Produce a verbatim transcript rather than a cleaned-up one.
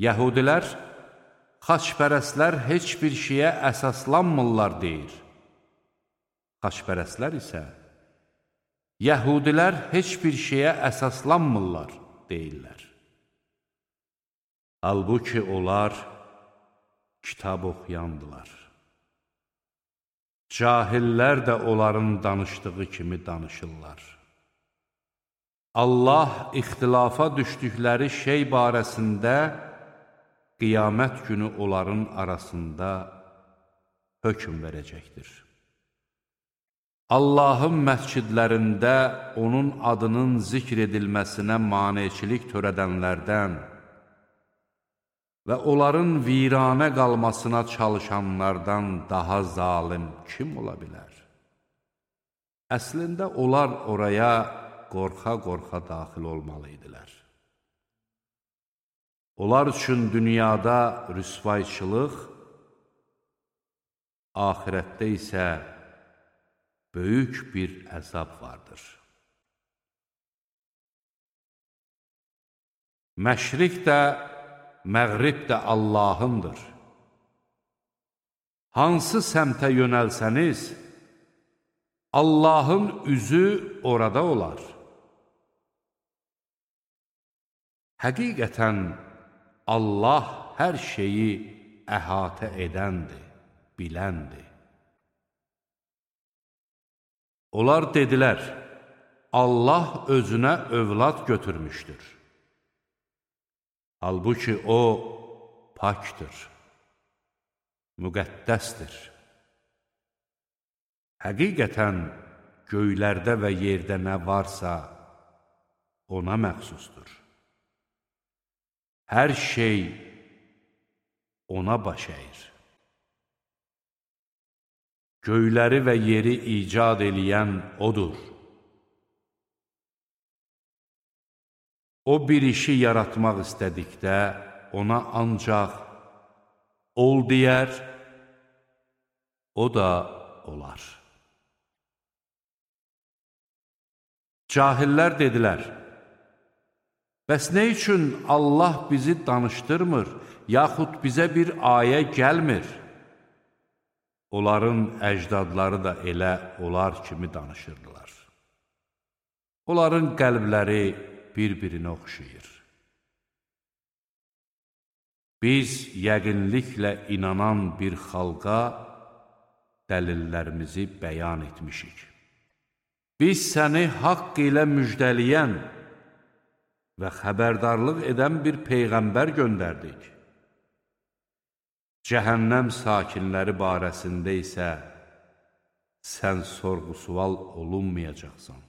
Yəhudilər, xaçpərəstlər heç bir şeyə əsaslanmırlar deyir. Xaçpərəstlər isə, Yəhudilər heç bir şeyə əsaslanmırlar deyirlər. Halbuki onlar kitab oxuyandılar. Cahillər də onların danışdığı kimi danışırlar. Allah ixtilafa düşdükləri şey barəsində qiyamət günü onların arasında hökm verəcəkdir. Allahın məscidlərində onun adının zikr edilməsinə maneçilik törədənlərdən və onların viranə qalmasına çalışanlardan daha zalim kim ola bilər? Əslində onlar oraya qorxa-qorxa daxil olmalıydilər. Onlar üçün dünyada rüsvayçılıq, ahirətdə isə böyük bir əzab vardır. Məşriq də, məğrib də Allahındır. Hansı səmtə yönəlsəniz, Allahın üzü orada olar. Həqiqətən Allah hər şeyi əhatə edəndir, biləndir. Onlar dedilər, Allah özünə övlad götürmüşdür. Halbuki o pakdır, müqəddəsdir. Həqiqətən göylərdə və yerdə nə varsa ona məxsusdur. Hər şey ona baş əyir. Göyləri və yeri icad eləyən odur. O bir işi yaratmaq istədikdə ona ancaq ol deyər, o da olar. Cahillər dedilər, bəs nə üçün Allah bizi danışdırmır, yaxud bizə bir ayə gəlmir? Onların əcdadları da elə onlar kimi danışırdılar. Onların qəlbləri bir-birinə oxşayır. Biz yəqinliklə inanan bir xalqa dəlillərimizi bəyan etmişik. Biz səni haqq ilə müjdələyən və xəbərdarlıq edən bir peyğəmbər göndərdik. Cəhənnəm sakinləri barəsində isə sən sorğu-sual olunmayacaqsan.